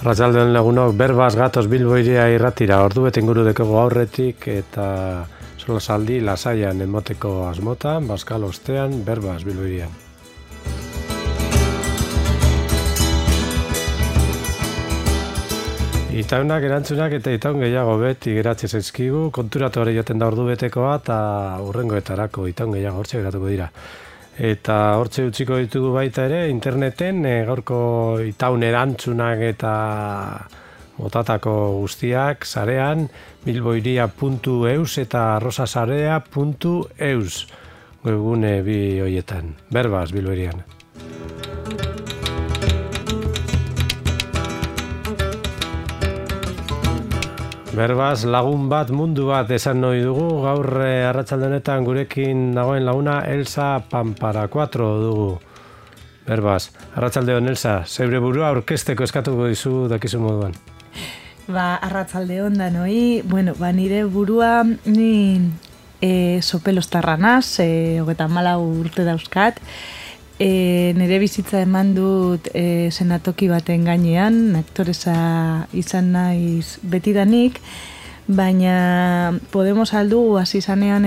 Arratsaldeon lagunok, berbaz gatoz Bilbo iria irratira, ordu bete inguru dekego aurretik eta solasaldi lasaian emoteko asmotan, Baskal ostean, berbaz Bilbo irian. Itaunak erantzunak eta itaun gehiago beti geratzen zaizkigu, konturatu hori joten da ordu betekoa eta hurrengoetarako itaun gehiago hortxe geratuko dira. Eta hortxe utziko ditugu baita ere, interneten gaurko itaun erantzunak eta motatako guztiak sarean bilboiria.eus eta rosasarea.eus webgune bi hoietan. Berbaz Bilboirian. Berbaz, lagun bat, mundu bat esan nahi dugu, gaur arratsalde honetan gurekin dagoen laguna Elsa Pamparacuatro dugu. Berbaz, arratsaldeon Elsa, zeure burua aurkezteko eskatuko dizu dakizu moduan. Arratsaldeon danoi, nire burua ni sopelostarra naz, 34 urte dauzkat. Nire bizitza eman dut senatoki baten gainean, aktoresa izan naiz betidanik, baina Podemos aldu hasi zanean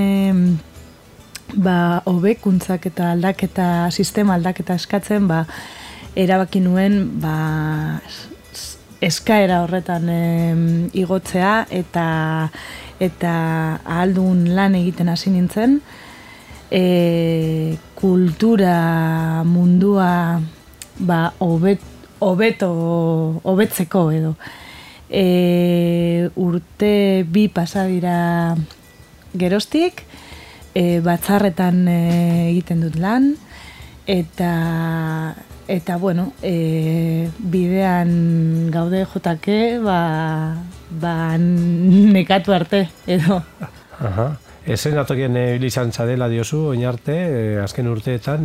hobekuntzak eta aldaketa, sistema aldaketa eskatzen, erabaki nuen eskaera horretan igotzea eta ahaldun lan egiten hasi nintzen. Kultura mundua hobetzeko edo. Urte 2 pasa dira geroztik, batzarretan egiten dut lan, eta bidean gaude jotake, nekatu arte edo. Aha. Esenatokien izan zadela diozu, oin arte, azken urteetan,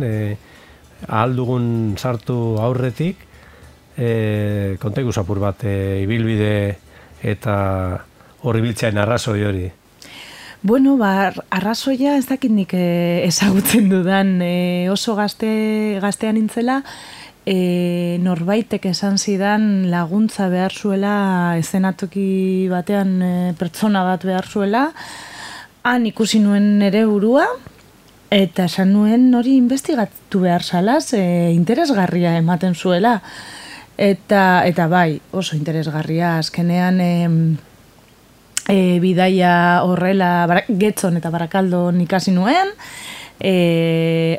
ahaldugun sartu aurretik, kontegu zapur bat, ibilbide eta horri biltzean arrazoi hori. Arrazoia ez dakit nik ezagutzen dudan, oso gaztean nintzela, norbaitek esan zidan laguntza behar zuela, esenatoki batean pertsona bat behar zuela, han ikusi nuen nere burua, eta esan nuen hori investigatu behar salaz, interesgarria ematen zuela. Eta bai, oso interesgarria, azkenean bidaia horrela Getzon eta Barakaldon ikasi nuen,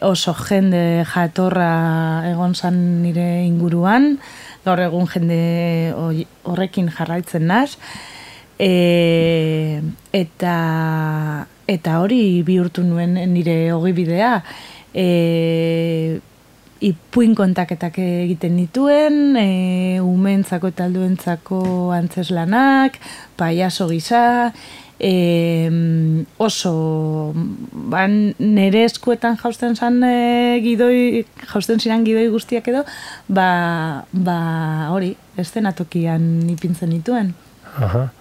oso jende jatorra egon zan nire inguruan, gaur egun jende horrekin jarraitzen naz, eta hori bihurtu nuen nire ogibidea, ipuin kontaketak egiten dituen, umeentzako eta alduentzako antzeslanak, paiaso gisa, oso nire eskuetan jausten ziren gidoi guztiak edo, hori, eszenatokian ipintzen dituen. Aha.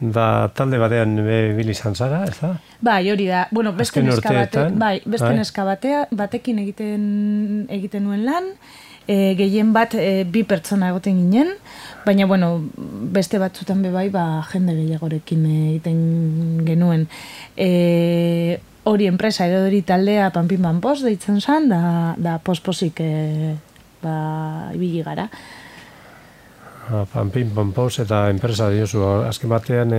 Talde batean bili izan zara, ez da? Bai, hori da. Beste neska batekin egiten nuen lan, gehien bat 2 pertsona egoten ginen, baina, beste batzutan bai, jende gehiagorekin egiten genuen. Hori enpresa edo hori taldea Panpin Panpos deitzen zen, da posposik ibili gara. Panpin Panpos eta enpresa diozu, azken batean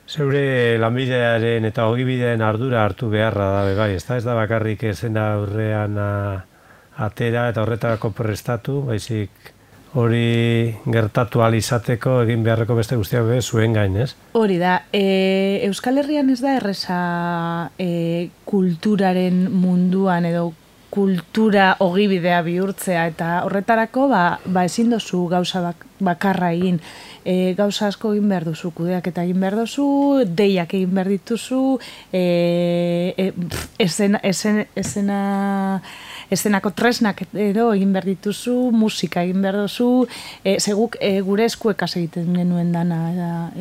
zeure lanbidearen eta ogibideen ardura hartu beharra da, bai, ez da bakarrik esena aurrean atera eta horretarako prestatu, baizik hori gertatu ahal izateko egin beharreko beste guztiak zuen gain, ez? Hori da, Euskal Herrian ez da erreza kulturaren munduan edo kultura ogibidea bihurtzea, eta horretarako ezin dozu gauza bakarra egin. Gauza asko egin behar duzu, kudeak eta egin behar duzu, deiak egin behar dituzu, esena eszenako tresnak edo egin behar dituzu, musika egin behar duzu, seguk gure eskuekaz egiten genuen dana,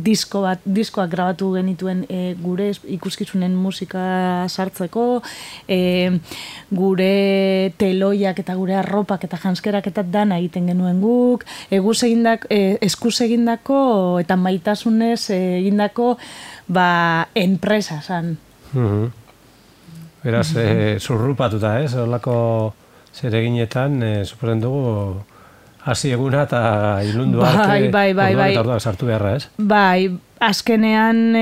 diskoak grabatu genituen gure ikuskizunen musika sartzeko, gure teloiak eta gure arropak eta janskerak eta dana egiten genuen guk, eskuz egindako eta maitasunez egindako enpresa zan. Beraz, zurrupatuta, olako zereginetan, suposen dugu, hasi eguna eta ilundu arte, orduan eta orduan sartu beharra, ez? Bai, azkenean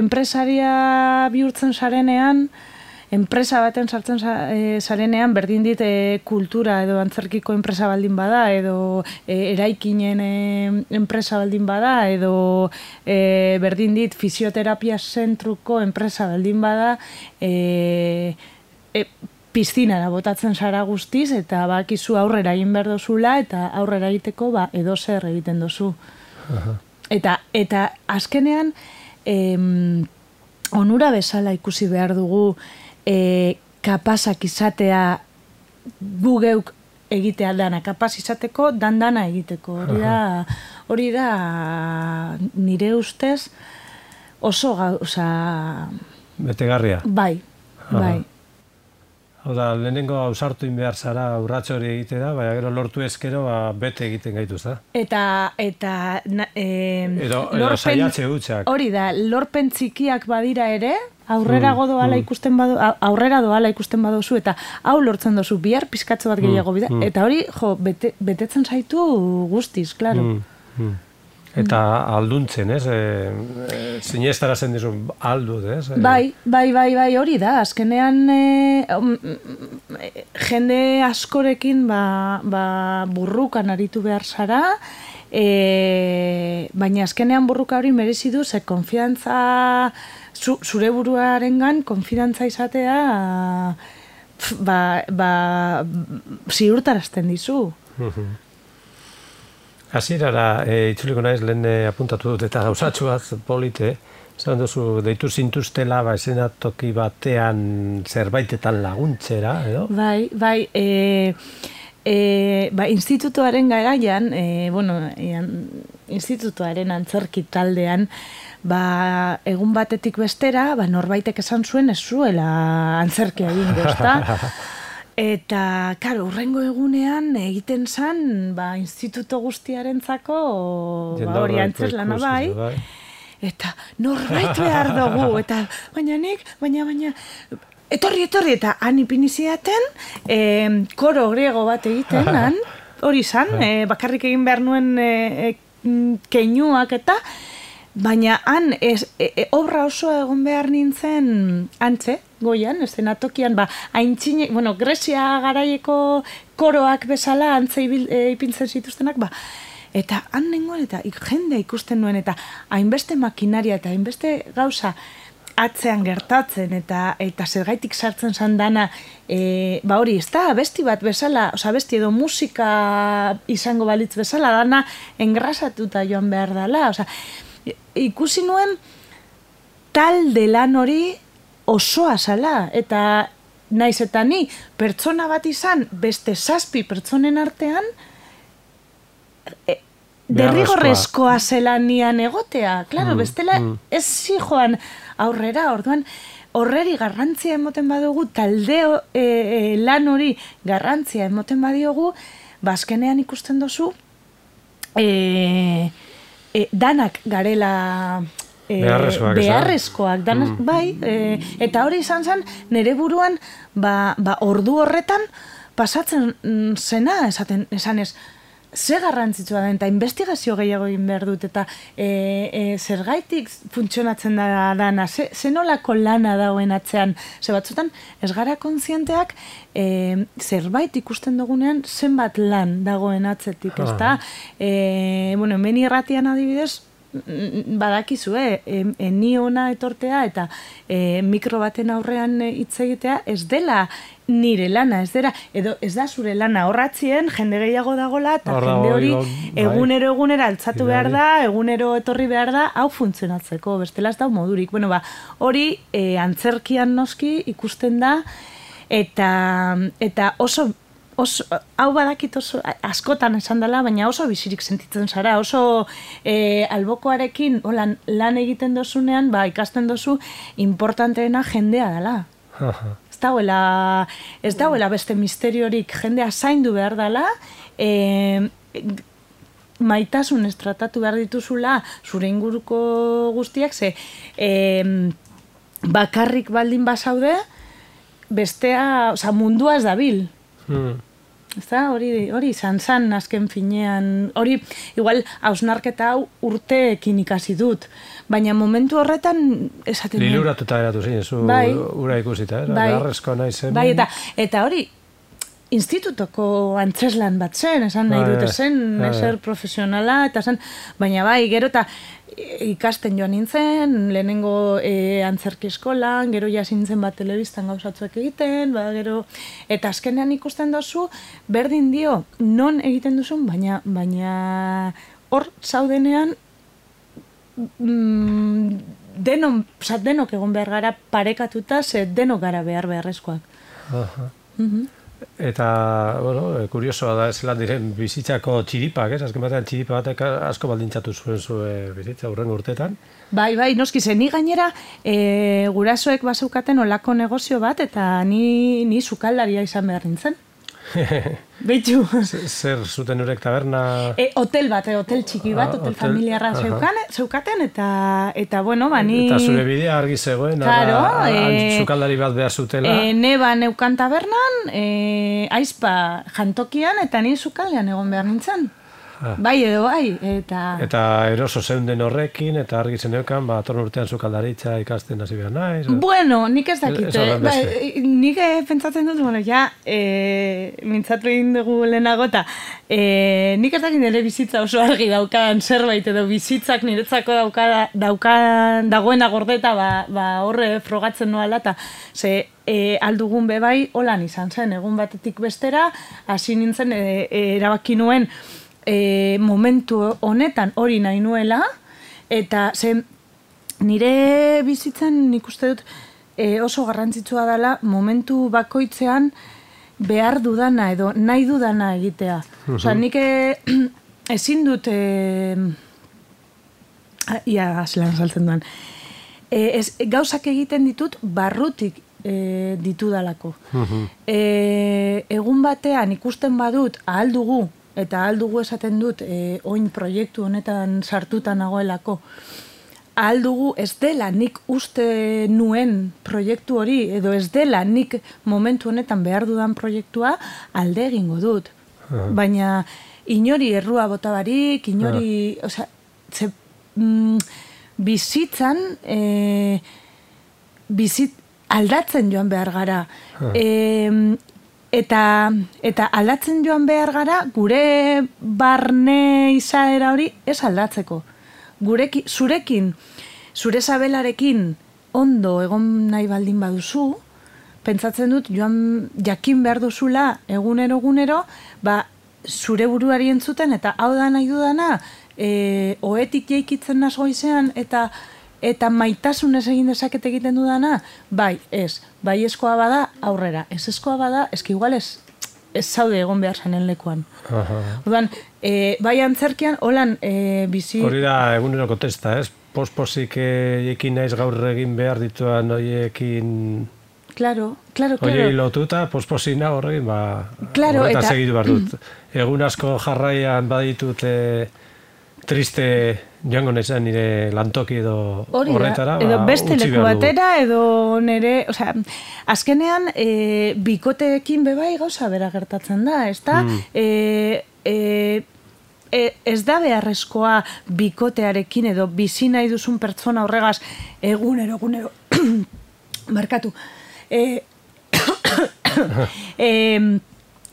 enpresaria bihurtzen zarenean, enpresa baten sartzen zarenean, berdin dit kultura edo antzerkiko enpresa baldin bada, edo eraikinen enpresa baldin bada, edo berdin dit fisioterapia zentruko enpresa baldin bada, piztinara botatzen zara guztiz, eta bakizu aurrera egin behar dozula, eta aurrera egiteko edo zer egiten dozu. Eta azkenean, onura bezala ikusi behar dugu kapazak izatea gu geuk egitea dana, kapaz izateko dana egiteko. Hori da nire ustez oso gauza... Betegarria. Bai. Hau da, lehenengo ausartu behar zara urratxo hori egite da, baina gero lortu ezkero bete egiten gaituz da. Edo saiatze hutsak. Hori da, lorpen txikiak badira ere, aurrera doala ikusten baduzu, eta hau lortzen dozu, bihar pizkatzo bat gehiago bida, eta hori, betetzen zaitu guztiz, klaro. Eta alduntzen, ez? Zineztarazen dizu aldut, ez? Bai, hori da. Azkenean jende askorekin burrukan aritu behar zara, baina azkenean burruka hori merezi du, ze konfidantza, zure buruarengan konfidantza izatea ziurtarazten dizu. Hasierara itzuliko naiz lehen apuntatu dut eta gauzatxu bat polite, zan duzu deitu zintuztela eszenatoki batean zerbaitetan laguntzera, edo? Bai, institutuaren garaian, institutuaren antzerki taldean, egun batetik bestera, norbaitek esan zuen ez zuela antzerkia egingo, ezta? Eta, karo, urrengo egunean egiten zan, instituto guztiarentzako hori antzeslana bai, eta norbait behar dugu, eta baina, etorri, eta han ipiniziaten, koro griego bat egiten, hori zan, bakarrik egin behar nuen keinuak eta, baina han obra osoa egon behar nintzen antze, goian, eszenatokian, haintxine, Grecia garaieko koroak bezala antze ipintzen zituztenak, eta han nengoen, eta jende ikusten nuen, eta hainbeste makinaria, eta hainbeste gauza atzean gertatzen, eta zergaitik sartzen zan dana, hori, ez da, abesti bat bezala, abesti edo musika izango balitz bezala, dana engrasatuta joan behar dela, ikusi nuen talde lan hori osoa zala, eta naiz eta ni pertsona bat izan beste 7 pertsonen artean derrigorrezkoa zela nian egotea, klaro, bestela ez zijoan aurrera, orduan horreri garrantzia emoten badugu, talde lan hori garrantzia emoten badiogu, azkenean ikusten dozu danak garela beharrezkoak, bai, eta hori izan zen, nire buruan, ordu horretan pasatzen zena, esanez, ze garrantzitsua da, eta investigazio gehiago egin behar dut, eta zergaitik funtzionatzen da dana, ze nolako lana dagoen atzean, ze batzutan, ez gara kontzienteak, zerbait ikusten dugunean, zenbat lan dagoen atzetik, ez da? Hemen irratian adibidez, badakizue, ni ona etortea eta mikro baten aurrean hitz egitea ez dela nire lana, edo ez da zure lana, horratzien jende gehiago dagola, eta jende hori egunero altzatu behar da, egunero etorri behar da, hau funtzionatzeko, bestela ez da modurik. Bueno, hori antzerkian noski ikusten da, eta oso hau badakit oso askotan esan dela, baina oso bizirik sentitzen zara, oso albokoarekin lan egiten dozunean, ikasten dozu importanteena jendea dela. Ez dauela beste misteriorik, jendea zaindu behar dela, maitasunez tratatu behar dituzula zure inguruko guztiak, ze bakarrik baldin bazaude, bestea, mundua ez dabil. Hori izan azken finean, hori igual hausnarketa hau urteekin ikasi dut, baina momentu horretan esaten dut. Liluratuta eratu zinen, zu ura ikusita, beharrezko nahi zen. Bai, eta hori institutoko antzeslan bat zen, esan nahi dut zen, eser profesionala, eta zen, baina gero eta ikasten joan nintzen, lehenengo antzerki eskolan, gero jasintzen bat telebistan gauzatzuek egiten, gero, eta azkenean ikusten dozu, berdin dio, non egiten duzun, baina hor zaudenean, denok egon behar gara parekatuta, ze denok gara beharrezkoak. Eta, kuriosoa da, ez lan diren bizitzako txiripak, azken batean txiripa batek asko baldintzatu zuen bizitza hurrengo urteetan. Bai, noski zen, ni gainera gurasoek bazeukaten olako negozio bat, eta ni sukaldaria izan behar nintzen. Beitu. Zer zuten urek taberna? Hotel bat, hotel txiki bat, hotel familiarra zeukaten, eta bueno, ni... Eta zure bidea argi zegoen, sukaldari bat behar zutela. Neba neukan tabernan, aizpa jantokian, eta ni sukaldean egon behar nintzen. Bai edo bai, eta eroso zeunden horrekin, eta argi zeneukan, atorn urtean sukaldaritza ikasten hasi behar naiz. Bueno, nik ez dakit, nik pentsatzen dut, mintzatu egin dugu lehenago, eta nik ez dakit nire bizitza oso argi daukan zerbait, edo bizitzak niretzako dagoena gordeta, horre frogatzen noala, eta aldugun bebai holan izan zen, egun batetik bestera, hasi nintzen erabaki nuen, momentu honetan hori nahi nuela, eta nire bizitzan nik uste dut oso garrantzitsua dela momentu bakoitzean behar dudana edo nahi dudana egitea. Nik ezin dut zelan saltzen duan. Gauzak egiten ditut barrutik ditudalako. Egun batean ikusten badut ahal dugu, eta aldugu esaten dut, oin proiektu honetan sartuta nagoelako, aldugu ez dela nik uste nuen proiektu hori, edo ez dela nik momentu honetan behar dudan proiektua, alde egingo dut. Baina inori errua bota barik, inori, bizitzan, aldatzen joan behar gara. Eta aldatzen joan behar gara, gure barne izaera hori ez aldatzeko. Zurekin, zure sabelarekin ondo egon nahi baldin baduzu, pentsatzen dut joan jakin behar duzula egunero, zure buruari entzuten, eta hau da nahi dudana, oetik jaikitzen nazo goizean, eta maitasunez egin dezaket egiten dudana, bai, ez. Bai eskoa bada, aurrera. Ez eskoa bada, eski igual ez zaude egon behar zanen lekuan. Odan, bai antzerkian, holan bizi... Hori da eguneroko testa, ez? Pospozik ekin naiz gaur egin behar dituan horiekin... Claro. Horiei lotuta, posposina horrekin, horretan segitu behar dut. Egun asko jarraian baditut... triste joango nezan nire lantoki edo horretara. Edo beste leku batera, edo nire... Azkenean, bikoteekin bebai gauza bera gertatzen da, ez da? Ez da beharrezkoa bikotearekin edo bizi nahi duzun pertsona horregaz egunero, markatu.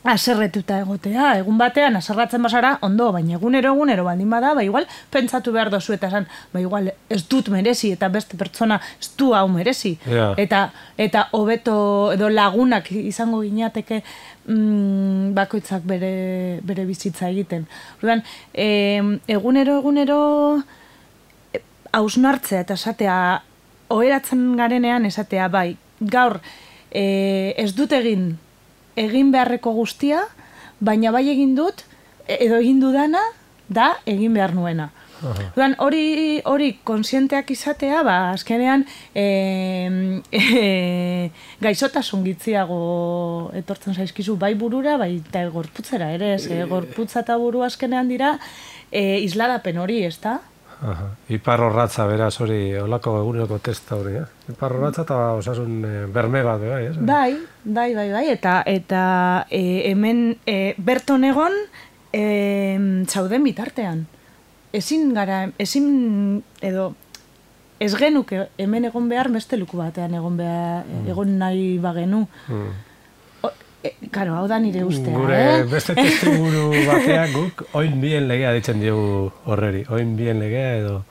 aserretuta egotea, egun batean aserratzen basara, ondo, baina egunero baldin bada, igual pentsatu behar dozu eta esan, igual ez dut merezi eta beste pertsona ez du hau merezi. Yeah. Eta hobeto edo lagunak izango ginateke bakoitzak bere bizitza egiten. Orduan, egunero hausnartzea eta esatea, oheratzen garenean esatea, bai, gaur ez dut egin beharreko guztia, baina bai egin dut, edo egin dudana, da egin behar nuena. Duan, hori konsienteak izatea, azkenean gaizotasun gitziago etortzen zaizkizu, bai burura, bai eta gorputzera ere, gorputza eta buru azkenean dira isladapen hori, ez da? Iparrorratza, beraz, hori, olako eguneroko testa hori, Iparrorratza eta osasun berme bat, bai? Bai, eta hemen berton egon zauden bitartean. Ezin edo ez genuke hemen egon behar beste luku batean egon nahi bagenu. Karo, hau da nire ustea, Gure beste testimuru batean guk oin bien legea ditzen diogu horreri. Oin bien legea edo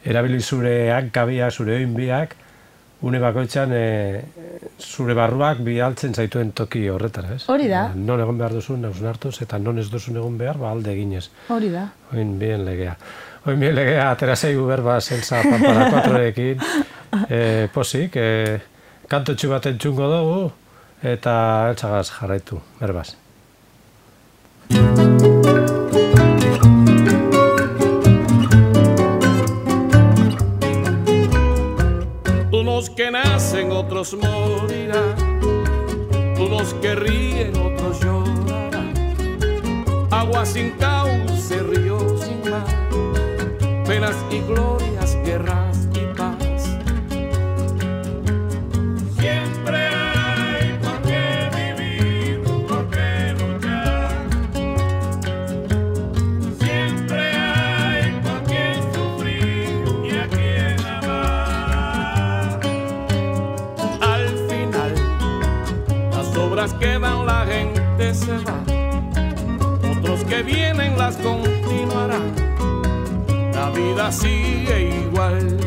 erabili zure hankabia, zure oin biak, une bakoitzan zure barruak bialtzen zaituen toki horretara, ez? Hori da. Non egon behar duzun, hausnartuz, eta non ez duzun egon behar, alde eginez. Hori da. Oin bien legea. Oin bien legea, atera zeigu berba Zelsa Pampara 4-ekin. Posik, kantotxu bat entzungo dugu, eta eltsagaz jarraitu, berbaz. Unos que nacen, otros morirán. Unos que ríen, otros llorarán. Agua sin cauce, río sin mar. Penas y glorias, guerras y paz. Siempre hay por qué vivir, por qué luchar. Siempre hay por qué sufrir y a quien amar. Al final, las obras quedan, la gente se va. Otros que vienen las continuarán. La vida sigue igual.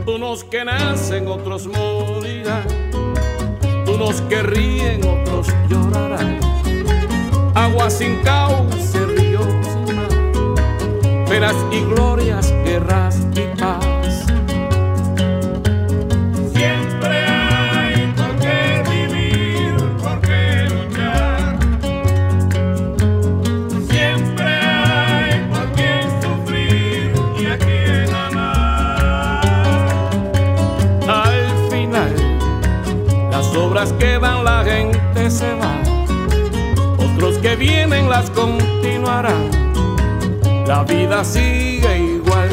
Unos que nacen, otros morirán. Unos que ríen, otros llorarán. Agua sin cauce, río sin mar. Penas y glorias, guerras y paz. Siempre hay por qué vivir, por qué luchar. Siempre hay por qué sufrir y a quien amar. Al final, las obras quedan, la gente se va. Otros que vienen las continuarán. La vida sigue igual.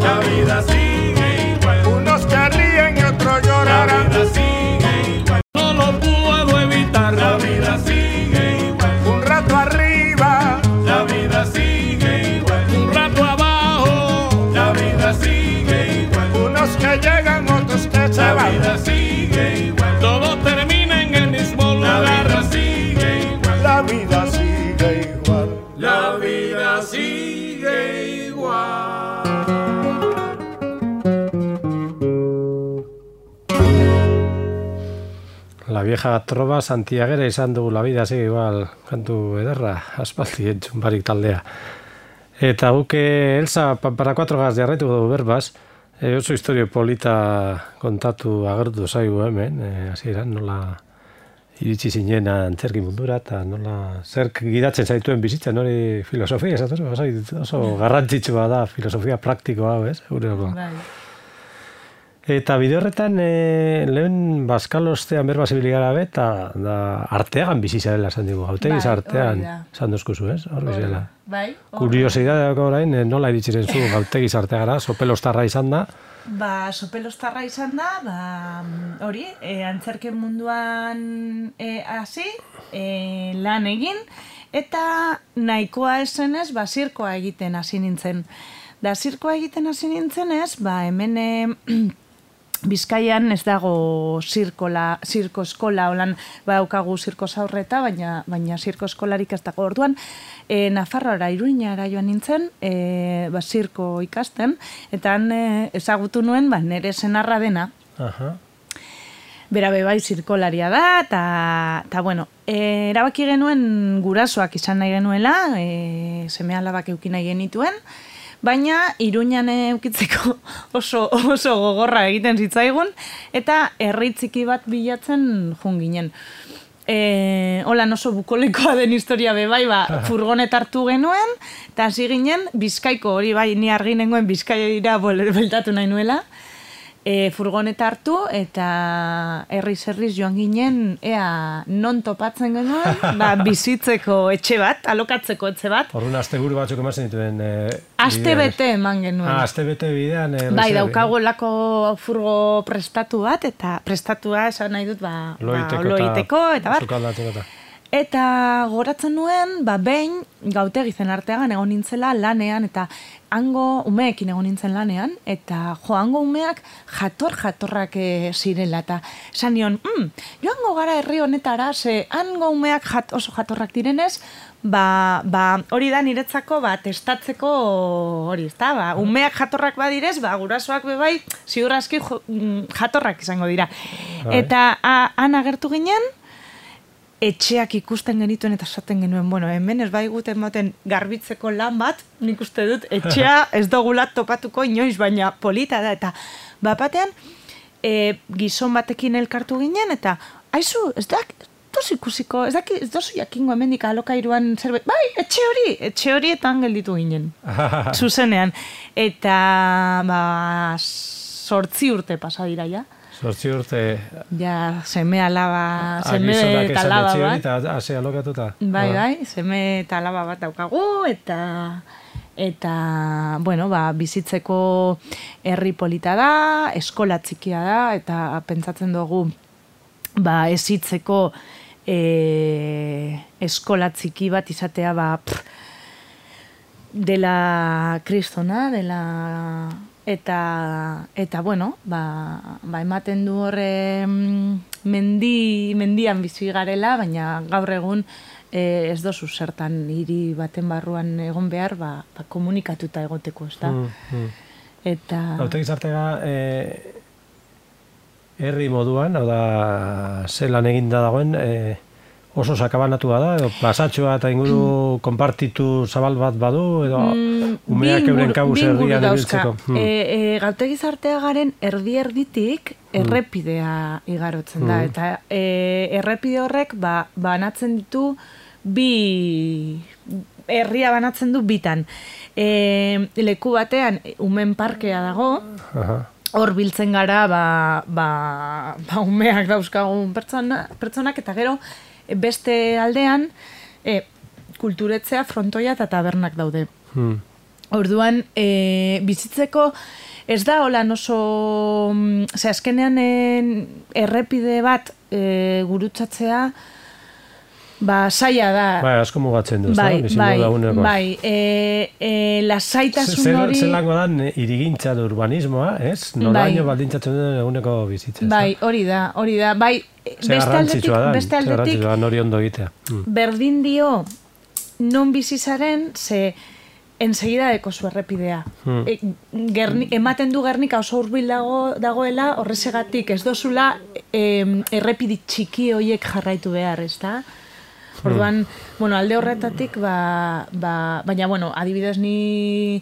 La vida sigue igual. Unos que ríen y otros llorarán. La vida sigue igual. No lo puedo evitar. La vida sigue igual. Un rato arriba. La vida sigue igual. Un rato abajo. La vida sigue igual. Unos que llegan, otros que se La van. vida sigue igual. Todo termina en el mismo lugar. La vida sigue igual. La vida sigue igual. La vida sigue igual. La vieja trova santiagera izan dugu, la vida sigue igual, kantu ederra, aspaldi entzun barik taldea. Eta buke Elsa Pampara 4-gaz jarraitu dugu berbaz, oso historio polita kontatu agertu zaigu hemen, hasieran nola iritsi zinen antzerki mundura, eta nola zerk gidatzen zaituen bizitzen, hori filosofia, oso garrantzitsua da filosofia praktikoa, ez? Eta bide horretan, lehen Baskalostean berba zibiligara eta arteagan bizizarela esan dugu, hautegiz artean, esan dozkuzu, ez? Hor bizela. Bai. Kuriosidadea orain, nola iritsiren zu hautegiz arteagara, sopelostarra izan da? Sopelostarra izan da, hori, antzerken munduan hasi, lan egin, eta nahikoa esenez, zirkoa egiten hasi nintzen. Da, zirkoa egiten hasi nintzenez, hemen Bizkaian ez dago zirko eskola, holan daukagu zirko zaurreta, baina zirko eskolarik ez dago. Orduan, Nafarroara, Iruñara joan nintzen, zirko ikasten, eta han ezagutu nuen, nire senarra dena. Bera bai zirkolaria da, eta bueno, erabaki genuen gurasoak izan nahi genuela, seme alabak eukin nahi genituen, baina Iruñan eukitzeko oso gogorra egiten zitzaigun, eta herri txiki bat bilatzen jun ginen. Holan oso bukolekoa den historia bai, furgonet hartu genuen, eta hasi ginen Bizkaiko, hori bai, ni argi nengoen Bizkaira beltatu nahi nuela, furgoneta hartu eta herriz joan ginen ea non topatzen genuen bizitzeko etxe bat, alokatzeko etxe bat. Horren asteburu batzuk ematen dituen astebete eman genuen. Astebete bidean. Bai, daukagolako furgo prestatu bat, eta prestatua esan nahi dut loiteko eta bar. Eta goratzen nuen, behin gautegi zen arteagan egon nintzela lanean, eta hango umeekin egon nintzen lanean, eta hango umeak jatorrak zirela, eta esan nion, joango gara herri honetara, ze hango umeak oso jatorrak direnez, hori da niretzako testatzeko hori, ezta? Umeak jatorrak badirez, gurasoak bebai, ziur aski jatorrak izango dira. Eta han agertu ginen, etxeak ikusten genituen eta esaten genuen, hemen ez baiguten moten garbitzeko lan bat, nik uste dut, etxea ez dugula topatuko inoiz, baina polita da, eta batean gizon batekin elkartu ginen, eta aizu, ez dozu jakingo hemendik alokairuan zerbait, bai, etxe hori eta gelditu ginen, zuzenean, eta 8 urte pasa dira, ja. 8 urte... Ja, seme alaba, seme eta alaba bat. Eta hase alokatuta. Bai, seme eta alaba bat daukagu, eta bueno, bizitzeko herri polita da, eskola txikia da, eta pentsatzen dugu, ezitzeko eskola txiki bat izatea, dela kristona, dela... Eta bueno, ematen du horre mendian bizi garela, baina gaur egun ez dozu zertan hiri baten barruan egon behar, komunikatuta egoteko, ez da? Eta... Hautegiz artega herri moduan, hau da, zelan eginda dagoen, oso sakabanatua da, edo pasatxoa eta inguru konpartitu zabal bat badu, edo umeak euren kabuz erdian ebiltzeko. Gautegiz arteagaren erditik errepidea igarotzen da, eta errepide horrek banatzen ditu herria banatzen du bitan. Leku batean umen parkea dago, hor biltzen gara umeak dauzkagun pertsonak, eta gero beste aldean kulturetzea, frontoia eta tabernak daude. Orduan, bizitzeko ez da holan oso... azkenean errepide bat gurutzatzea zaila da. Asko mugatzen du, bai, lasaitasun hori... Zelango da irigintza da urbanismoa, ez? Noraino baldintzatzen duen eguneko bizitza. Bai, hori da. Bai, beste aldetik nori ondo egitea. Berdin dio non bizizaren, ze ensegida deko zu errepidea. Ematen du Gernika oso hurbil dagoela, horrezegatik ez dozula errepidi txiki horiek jarraitu behar, ez da? Orduan, alde horretatik, baina, adibidez ni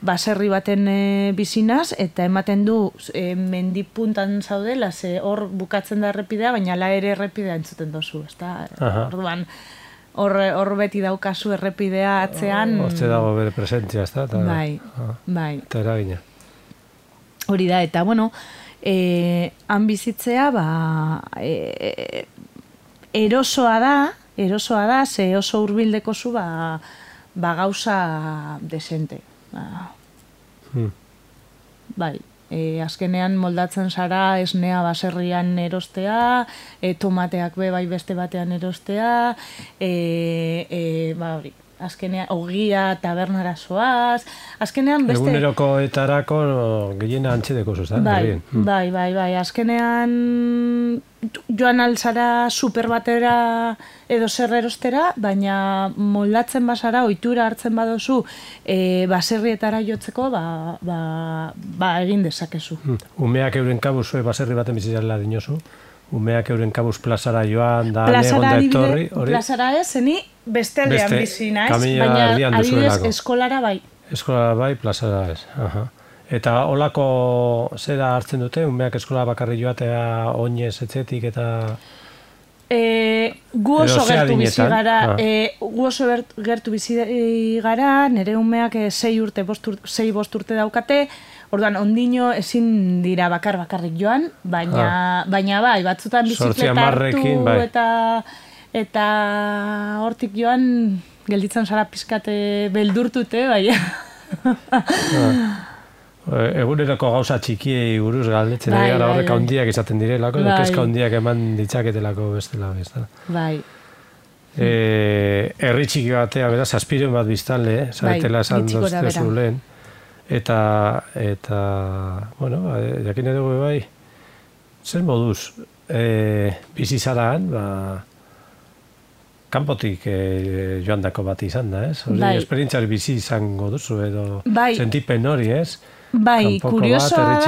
baserri baten bizinaz, eta ematen du mendipuntan zaudela, ze hor bukatzen da errepidea, baina ala ere errepidea entzuten dozu, ez da? Orduan, hor beti daukazu errepidea atzean... Hortze dago bere presentzia, ez da? Bai. Eta eragina. Hori da, eta han bizitzea, erosoa da, ze oso hurbildeko zu, gauza desente. Bai, azkenean moldatzen zara esnea baserrian erostea, tomateak bai beste batean erostea, hori, azkenean ogia tabernara zoaz, azkenean beste... Egunerokoetarako gehiena antxedeko zuz, Bai, azkenean joan alzara super batera edo zer erostera, baina moldatzen basara, ohitura hartzen badozu baserrietara jotzeko, egin dezakezu. Umeak euren kabuz baserri baten bizitzarela dinozu? Umeak euren kabuz plazara joan, da negonda etorri? Plazara ez, zeni beste aldean bizi naiz, baina adibidez eskolara bai. Eskolara bai, plazara ez. Eta holako zera hartzen dute, umeak eskola bakarri joatea oinez etxetik eta... Gu oso gertu bizi gara, nire umeak 6 bost urte daukate, orduan ondino ezin dira bakarrik joan, baina bai, batzutan bizikleta hartu eta hortik joan gelditzen zara pizkate beldurtute, baina... Eguneroko gauza txikiei buruz galdetzen gara horrek handiak izaten direlako, edo kezka handiak eman ditzaketelako bestela. Bai. Herri txiki batea, beraz, 700 bat biztanle, zaretela esan doztezu lehen. Eta, bueno, jakin edo bai, zer moduz, bizi zaraan, kanpotik joandako bat izan da, ez? Hori, esperientziari bizi izango duzu, edo sentipen hori, ez? Bai, kuriosoa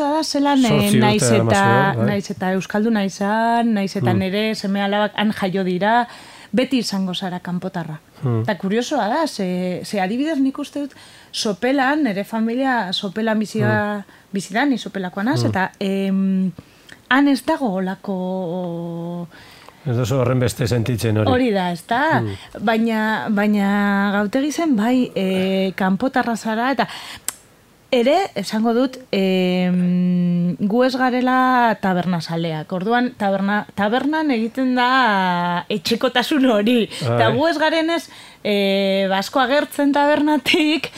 da zelan naiz eta euskalduna izan, naiz eta nire seme alabak han jaio dira, beti izango zara kanpotarra. Eta kuriosoa da, ze adibidez nik uste dut sopelan, nire familia sopelan bizidan, ni sopelakoan az, eta han ez dago olako... Ez dozu horren beste sentitzen hori. Hori da, ez da. Baina gautegi zen, bai, kanpotarra zara, eta ere, esango dut, gu ez garela tabernazaleak. Orduan, tabernan egiten da etxekotasun hori. Eta gu ez garenez, asko agertzen tabernatik,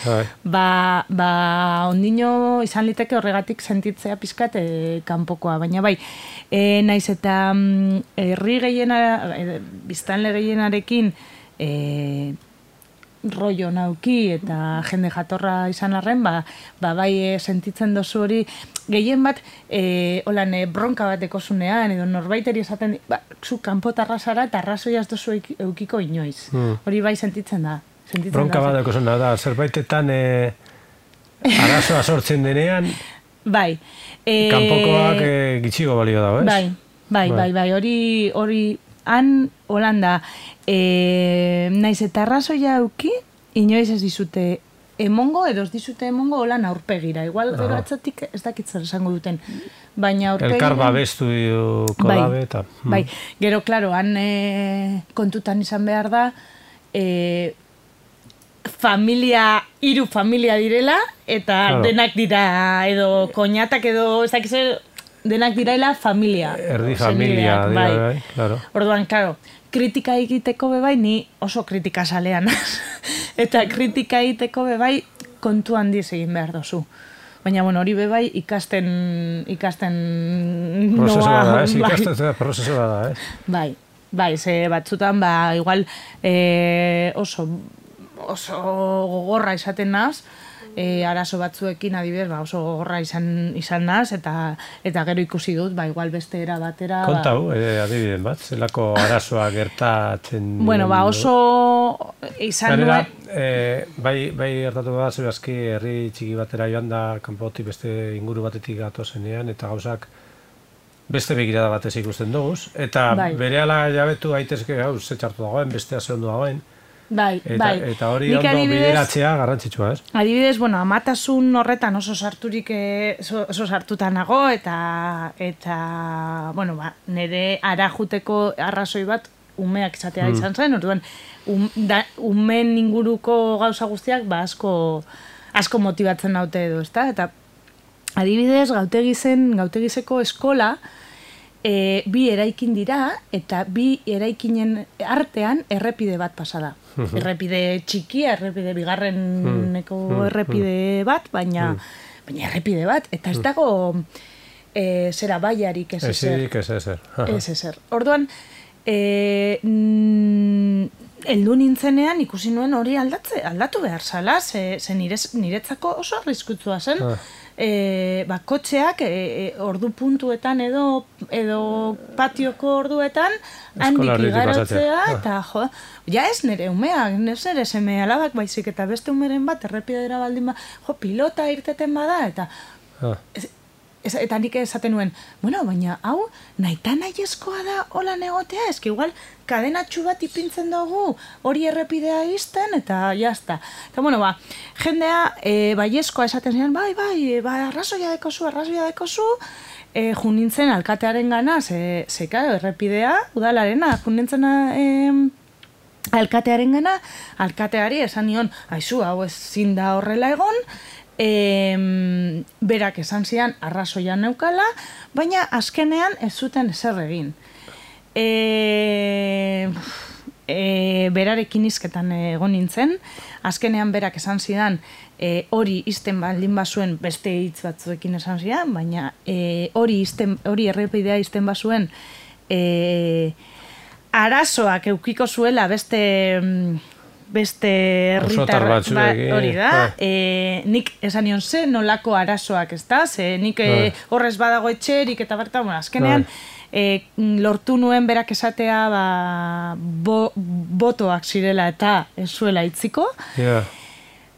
ondino izan liteke horregatik sentitzea pizkat kanpokoa. Baina bai, naiz eta herri biztanle gehienarekin rollo nauki eta jende jatorra izan arren, bai sentitzen dozu hori, gehien bat, bronka bat ekozunean, edo norbaiteri esaten, zu kanpotarra zara eta arrazoiaz dozu eukiko inoiz. Hori bai sentitzen da. Bronka bat ekozuna da, zerbaitetan arazoa sortzen denean, bai. Kanpokoak gitxigo balio dago, ez? Bai, hori han Holanda, naiz eta arrazoia euki, inoiz ez dizute emongo, edo ez dizute emongo holan aurpegira. Igual gero atzatik ez dakitzen esango duten. Baina aurpegira... Elkar babestu dabe eta... Bai, gero, klaro, han kontutan izan behar da, hiru familia direla, eta denak dira, edo koñatak edo, ez dakiz denak direla familia. Erdi familia, bai, claro. Orduan, claro, kritika egiteko bebai, ni oso kritika salean. Eta kritika egiteko bebai, kontu handiz egin behar dozu. Baina, bueno, hori bebai ikasten prozeso da, ez? Bai, ze batzutan, igual oso gogorra izaten naz, arazo batzuekin adibidez, oso gogorra izan naz, eta gero ikusi dut, igual beste era batera... Kontau, adibidez bat, zelako arazoa gertatzen... Bueno, oso izan nuen... Bai gertatu bat, zebazki herri txiki batera joan da, kanpotik beste inguru batetik gatozenean, eta gauzak beste begirada batez ikusten duguz, eta berehala jabetu gaitezke, ze txartu dagoen, bestea ze ondo dagoen, eta hori ondo bideratzea garrantzitsua, ez? Adibidez, amatasun horretan oso sartuta nago, eta nire arajuteko arrazoi bat umeak izatea izan zen, orduan, umen inguruko gauza guztiak asko motibatzen naute edo, ezta? adibidez, gautegizeko eskola, bi eraikin dira, eta bi eraikinen artean errepide bat pasada. Errepide txikia, errepide bigarreneko errepide bat, baina errepide bat, eta ez dago zera baiarik ez ezer. Ez ezer. Orduan, heldu nintzenean ikusi nuen hori aldatu behar zala, ze niretzako oso arriskutsua zen. Kotxeak ordu puntuetan edo patioko orduetan handik igarotzea, eta ja ez nire umeak, ez nire seme alabak baizik, eta beste umeren bat errepidera baldin pilota irteten bada, eta nik esaten nuen, bueno, baina hau nahita nahiezkoa da holan egotea, eski igual kadenatxu bat ipintzen dugu hori errepidea izten, eta jazta. Eta bueno, jendea baiezkoa esaten ziren, bai, arrazoia dekozu, junintzen alkatearen gana, ze claro, errepidea, udalarena, junintzen alkatearen gana, alkateari esan nion, aizu, hau ezin da horrela egon, berak esan zian arrazoian neukala, baina azkenean ez zuten ezer egin. Berarekin izketan egon nintzen, azkenean berak esan zidan hori izten baldin bazuen beste hitz batzuekin esan zidan, baina hori errepidea izten bazuen arazoak eukiko zuela beste herritar hori da. Nik esan nion ze nolako arazoak, ez da? Nik horrez badago etxerik eta bertan, azkenean lortu nuen berak esatea botoak zirela eta ez zuela itziko.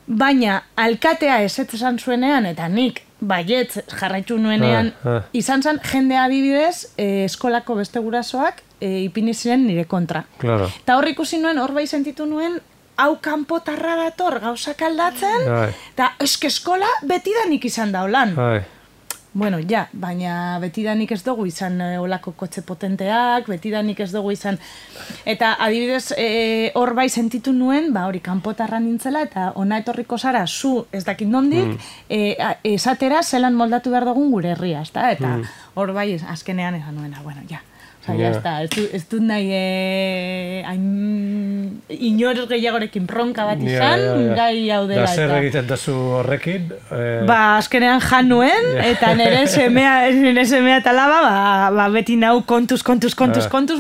Baina alkatea ez esan zuenean eta nik baietz jarraitu nuenean izan zen jendea adibidez eskolako beste gurasoak ipini ziren nire kontra. Eta hor ikusi nuen, hor bai sentitu nuen hau kanpotarra dator gauzak aldatzen, eta eskola betidanik izan da holan. Bueno, baina betidanik ez dugu izan olako kotxe potenteak, betidanik ez dugu izan. Eta adibidez, hor bai sentitu nuen, hori kanpotarra nintzela, eta ona etorriko zara, zu ez dakit nondik, esatera zelan moldatu behar dugun gure herria, eta hor bai azkenean esan nuena, bueno, ez dut nahi inor gehiagorekin bronka bat izan, gai hau dela. Da zer egiten duzu horrekin? Azkenean jan nuen, eta nire semea eta laba, beti nau kontuz,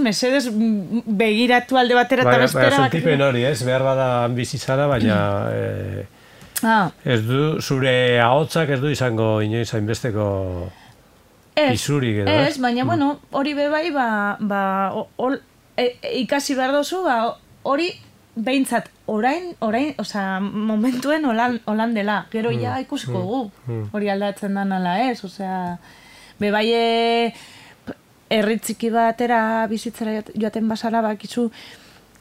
mesedez begiratu alde batera eta bestera. Sentipen hori, ez? Behar bada bizi zara, baina ez du, zure ahotsak ez du izango inoiz hainbesteko isurik edo, ez? Baina, bueno, hori bebai, ikasi behar dozu, hori behintzat orain, momentuen holan dela. Gero ja ikusiko gu, hori aldatzen da nala ez, bebai herritziki batera bizitzera joaten basara bakizu,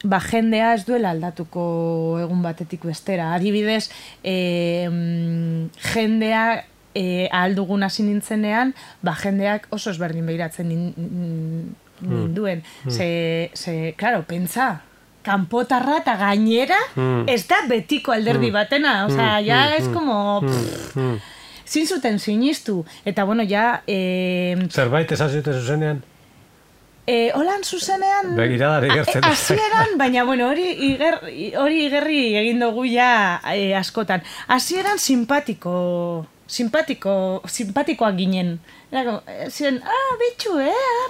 jendea ez duela aldatuko egun batetik bestera. Adibidez, jendea ahal dugun hasi nintzenean, jendeak oso ezberdin behiratzen ninduen. Claro, pentsa, kanpotarra eta gainera ez da betiko alderdi batena. Ja ez como... Zin zuten sinistu. Eta bueno, ja... Zerbait esan zuten zuzenean? Holan zuzenean... Begiradari gertzen. Hasieran, baina bueno, hori igerri egin dugu ja askotan. Hasieran simpatikoak ginen. Ziren, bitxu,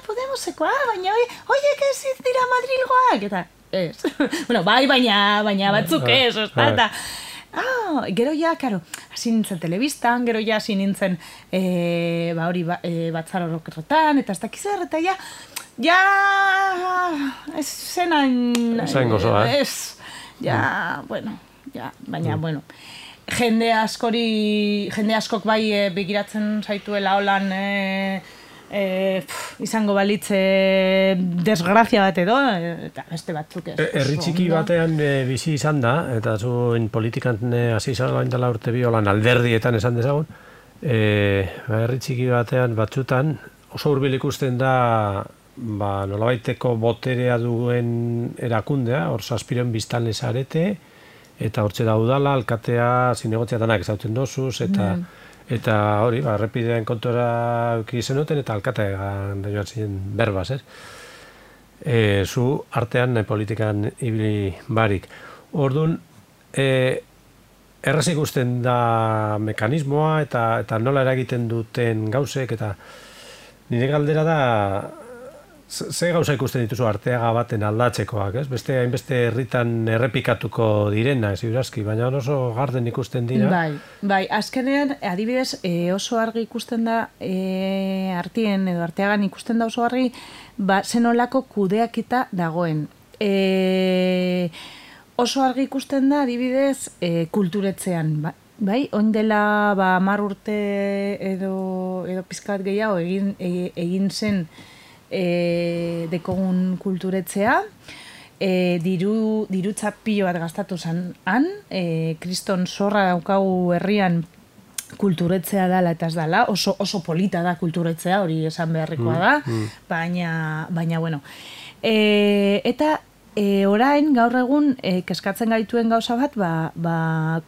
Podemosekoa, baina oiek ez dira Madrilgoak, eta ez. Bueno, baina batzuk ez, eta gero ja, karo, hasi nintzen telebistan, gero ja hasi nintzen hori batzar orokerretan, eta ez dakizer, eta ja ez zenan... Zain gozoa, ez, bueno, baina, bueno... Jende askok bai begiratzen zaituela holan izango balitze desgrazia bat edo, eta beste batzuk ez. Herri txiki batean bizi izan da, eta zuen politikan hasi izan dela urte bi holan alderdietan esan dezagun, herri txiki batean batzutan oso hurbil ikusten da nolabaiteko boterea duen erakundea, hor zazpiren biztanle zarete, eta hortxe da udala, alkatea, zinegotziatanak ezautzen dozuz, Eta hori, errepidean kontura euki zenuten eta alkatean joan ziren berbaz, zu artean politikan ibili barik. Orduan, erraz ikusten da mekanismoa eta nola eragiten duten gauzek, eta nire galdera da, ze gauza ikusten dituzu Arteaga baten aldatzekoak, ez? Beste hainbeste herritan errepikatuko direna, ez iurazki, baina oso garden ikusten dira. Bai, azkenean, adibidez, oso argi ikusten da, Artien edo Arteagan ikusten da oso argi, zenolako kudeakita dagoen. Oso argi ikusten da, adibidez, kulturetzean, bai, oin dela 10 urte edo pizkat gehiago egin zen dekogun kulturetzea, dirutza pilo bat gastatu zen kriston zorra daukagu herrian kulturetzea dala eta ez dala, oso polita da kulturetzea, hori esan beharrikoa da, baina bueno. Eta orain, gaur egun, keskatzen gaituen gauza bat,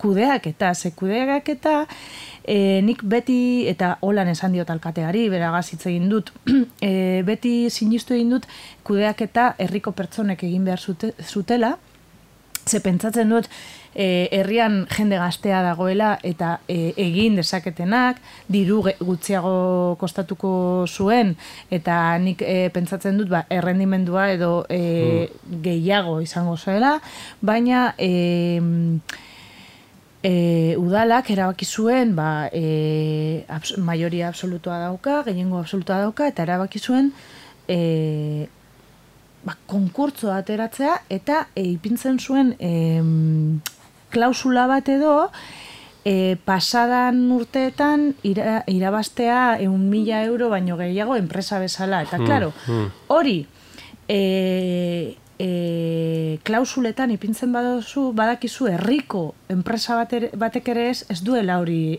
kudeaketa, kudeaketa, nik beti, eta holan esan diot alkateari, beragaz hitz egin dut, beti sinistu egin dut kudeaketa herriko pertsonek egin behar zutela, ze pentsatzen dut herrian jende gaztea dagoela eta egin dezaketenak, diru gutxiago kostatuko zuen, eta nik pentsatzen dut errendimendua edo gehiago izango zuela, baina udalak erabaki zuen maioria absolutua dauka, gehiengo absolutua dauka, eta erabaki zuen konkurtsoa ateratzea eta ipintzen zuen klausula bat edo pasadan urteetan irabaztea 1.000 euro baino gehiago enpresa bezala. Eta, klaro, hori klausuletan ipintzen badakizu herriko enpresa batek ere ez duela hori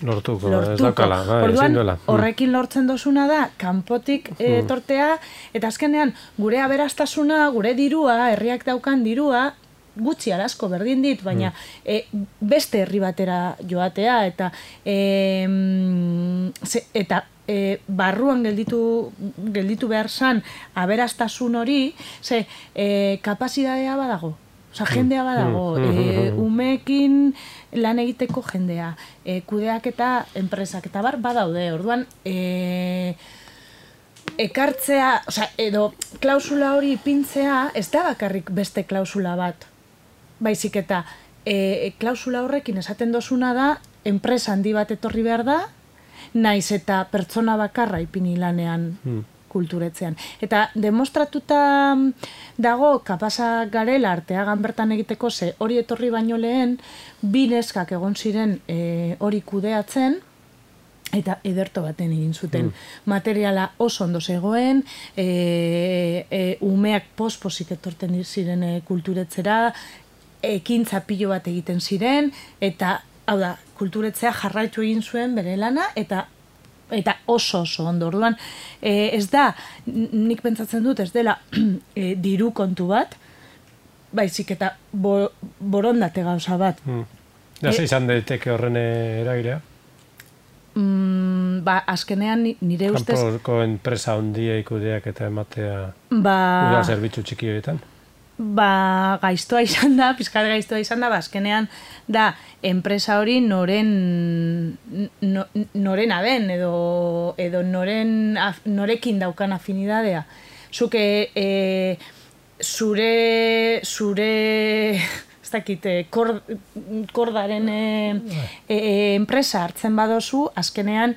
lortuko. Ez daukala, orduan, horrekin lortzen dozuna da, kanpotik tortea, eta azkenean gure aberastasuna, gure dirua, herriak daukan dirua, gutxi arazko berdin dit, baina beste herri batera joatea, eta barruan gelditu behar zan aberastasun hori, kapazitatea badago. Osa, jendea badago, umeekin lan egiteko jendea, kudeak eta enpresak eta badaude, orduan ekartzea, edo klausula hori ipintzea, ez da bakarrik beste klausula bat, baizik eta klausula horrekin esaten dozuna da, enpresa handi bat etorri behar da, naiz eta pertsona bakarra ipini lanean kulturetzean. Eta demostratuta dago kapasa garela Arteagan bertan egiteko, ze hori etorri baino lehen, 2 neskak egon ziren hori kudeatzen, eta ederto baten egin zuten. Materiala oso ondo zegoen, umeak pospozik etorten ziren kulturetzera, ekintza pilo bat egiten ziren, eta, hau da, kulturetzea jarraitu egin zuen bere lana, eta oso ondo. Orduan, ez da, nik pentsatzen dut, ez dela diru kontu bat, baizik eta borondate gauza bat. Ze izan daiteke horren eragilea? Azkenean nire ustez... Kanpoko enpresa hondia ikudeak eta ematea udal zerbitzu txiki horietan? Gaiztoa izan da, pizkat gaiztoa izan da, azkenean da, enpresa hori norena den, edo norekin daukan afinidadea. Zuke zure ez dakit, kordaren enpresa hartzen badozu, azkenean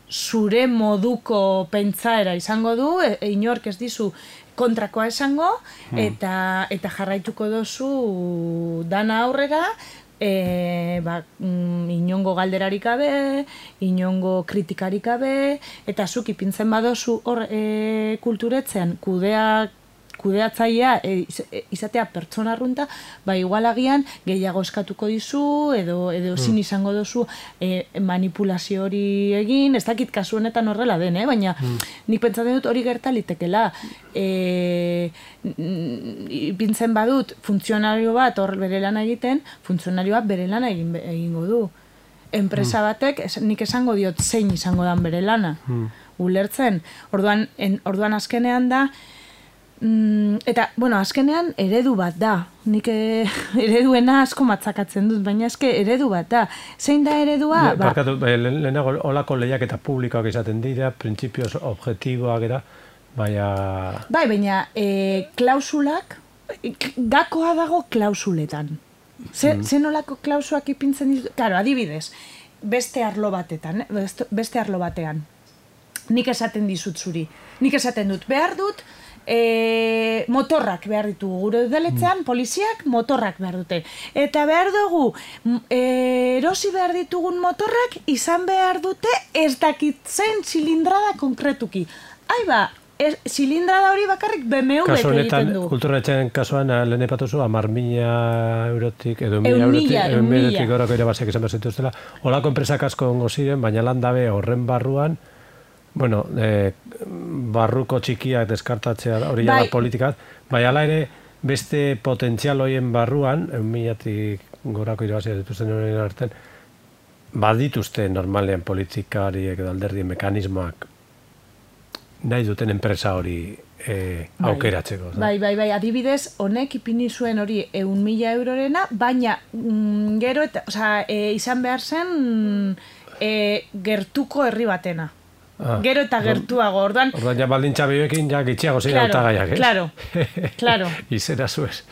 zure moduko pentsaera izango du, inork ez dizu kontrakoa esango, eta jarraituko dozu dana aurrera, inongo galderarik gabe, inongo kritikarik gabe, eta zuk ipintzen badozu hor kulturetzean kudeatzailea izatea pertsona arrunta, ba igual agian gehiago eskatuko dizu edo ezin izango duzu manipulazio hori egin, ez dakit kasu honetan horrela den, baina nik pentsatzen dut hori gerta litekela. Ipintzen badut funtzionario bat hor bere lana egiten, funtzionarioa bere lana egingo du. Enpresa batek, nik esango diot zein izango dan bere lana. Ulertzen. Orduan azkenean da, eta, bueno, azkenean eredu bat da. Nik ereduena asko matzakatzen dut, baina eske eredu bat da. Zein da eredua? Barkatu, lehenago olako lehiak eta publikoak izaten dira, printzipioz objektiboak era, baina klausulak, gakoa dago klausuletan. Zen olako klausuak ipintzen ditu? Claro, adibidez, beste arlo batean. Nik esaten dizut zuri. Nik esaten dut, behar dut, motorrak behar ditugu. Gure udaletzean, poliziak motorrak behar dute. Eta behar dugu, erosi behar ditugun motorrak izan behar dute ez dakitzen zilindrada konkretuki. Aiba, zilindrada hori bakarrik BMW egiten du. Kulturretxen kasuan lehen epatuzu 10.000 eurotik edo 1.000 eurotik gorako irabaziak izan behar zituztela. Olako enpresak asko ongo ziren, baina landabe horren barruan, bueno, barruko txikiak deskartatzea hori jala politikat, baina ala ere beste potentzial horien barruan, 1.000tik gorako irabaziak dituzten horien artean, badituzte normalean politikariek edo alderdien mekanismoak nahi duten enpresa hori aukeratzeko. Bai, adibidez, honek ipini zuen hori 100.000 eurorena, baina gero eta, izan behar zen gertuko herri batena. Gero eta gertuago, orduan ja baldintza bioekin ja gitxiago zira hautagaiak, ez? Claro. Izera zuez.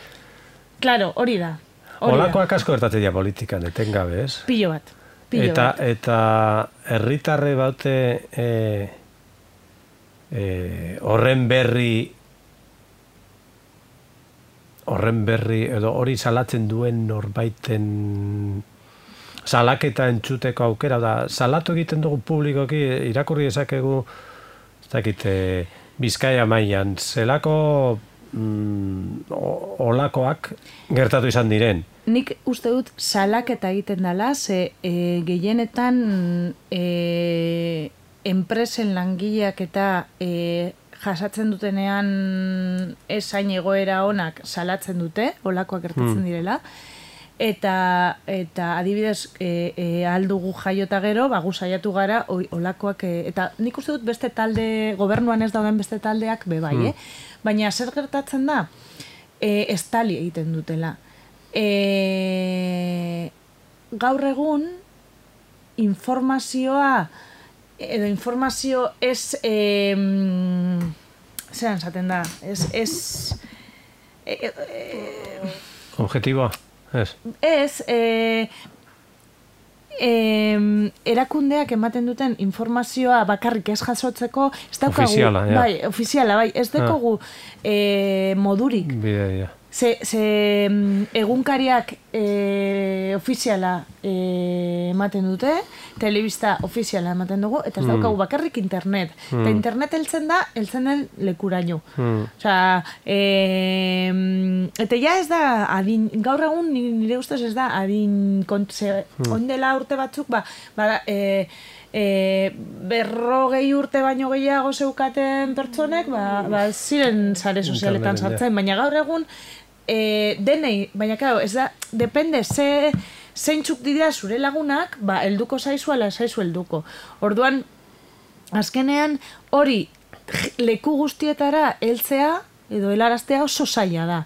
Claro, hori da. Olakoak asko gertatzen dira politikan, etengabe, ez? Pilo bat. Eta herritarre baute horren berri edo hori salatzen duen norbaiten salaketa entzuteko aukera da, salatu egiten dugu publikoki, irakurri ezakegu ez dakit, Bizkaia mailan zelako olakoak gertatu izan diren. Nik uste dut salaketa egiten dela, ze gehienetan enpresen langileak eta jasatzen dutenean esain egoera onak salatzen dute, olakoak gertatzen direla, eta adibidez aldugu jaiota gero, gu saiatu gara olakoak, eta nik uste dut beste talde, gobernuan ez dauden beste taldeak bebai, baina zer gertatzen da, estali egiten dutela. Gaur egun, informazio ez zeran zaten da, ez objetiboa, ez? Ez, erakundeak ematen duten informazioa bakarrik ez jasotzeko, ez daukagu, ofiziala, ez daukagu modurik. Bidea. Ze egunkariak ofiziala ematen dute, telebista ofiziala ematen dugu, eta ez daukagu bakarrik internet. Eta internet heltzen den lekuraino. Osea, eta ja ez da, gaur egun nire ustez ez da, ondela urte batzuk, 40 urte baino gehiago zeukaten pertsonek, ziren sare sozialetan sartzen, baina gaur egun denei, baina claro, ez da, depende zeintzuk dira zure lagunak, helduko zaizu ala zaizu helduko. Orduan, azkenean hori leku guztietara heltzea edo helaraztea oso zaila da.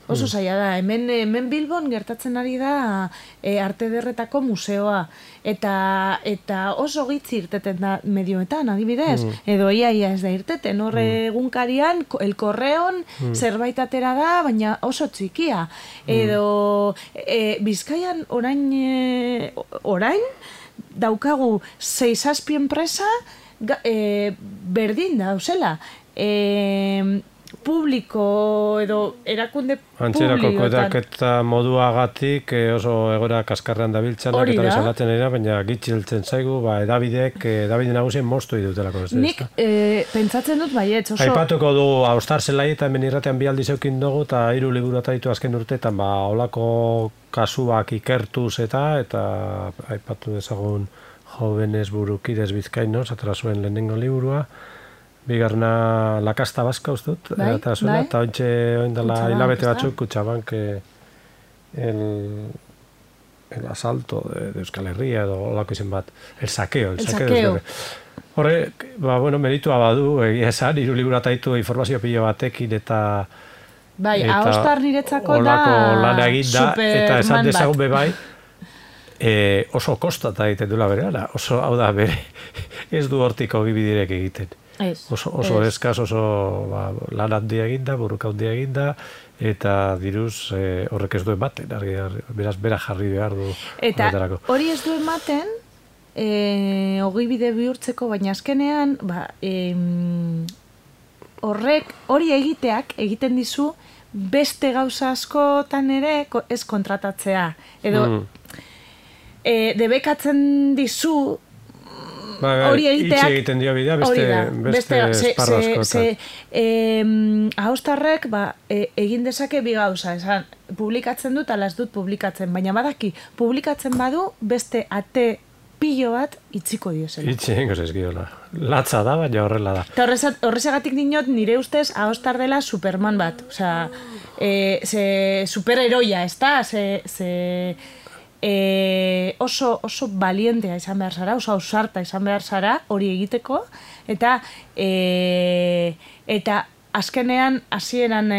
Oso zaila da. Hemen Bilbon gertatzen ari da Arte Ederretako museoa. Eta oso gitzi irteten da medioetan, adibidez. Edo ia ez da irteten. Horre egunkarian, El Correon zerbait atera da, baina oso txikia. Edo Bizkaian orain daukagu 6-7 enpresa berdin dauzela. publiko edo erakunde Antzerako publikoetan. kudeaketa moduagatik oso egoera kaskarrean dabiltzanak eta salatzen dira, baina gitxiltzen zaigu, edabide nagusien moztu dutelako. Nik pentsatzen dut baietz oso... Aipatuko du Austar Zelai eta hemen irratean bi aldiz eukin dugu eta 3 liburu ditu azken urteetan, olako kasuak ikertuz eta aipatu dezagun Jóvenes Burukides Bizkainos, atera zuen lehenengo liburua, bigarna La Casta Vasca ustut, eta ointxe oindala hilabete batzuk Kutxabank el asalto de Euskal Herria edo olako izen bat, el saqueo. Horre, meritua badu, egia esan, 3 liburu ditu informazio pilo batekin eta Austar niretzako da olako lana egin da, eta esan dezagun bebai, oso kostata egiten duela bere, oso, hau da, bere, ez du hortiko gibidirek egiten. Oso eskaz, oso lan handia eginda, burruka handia eginda, eta diruz horrek ez du ematen, beraz bera jarri behar du. Eta hori ez du ematen, ogibide bihurtzeko, baina azkenean, hori egiteak egiten dizu beste gauza askotan ere ez kontratatzea. Edo, debekatzen dizu hori egiteak... Itxe egiten dio bidea beste esparro askotan. Austarrek egin dezake bi gauza, esan, publikatzen dut, ala ez dut publikatzen, baina badaki, publikatzen badu beste ate pilo bat itziko diozela. Itxe egingo zezkiola. Latza da, baina horrela da. Eta horrezagatik dinot, nire ustez, Austar dela Superman bat. Osea, superheroia, ez da? Oso valientea izan behar zara, oso ausarta izan behar zara hori egiteko, eta azkenean hasieran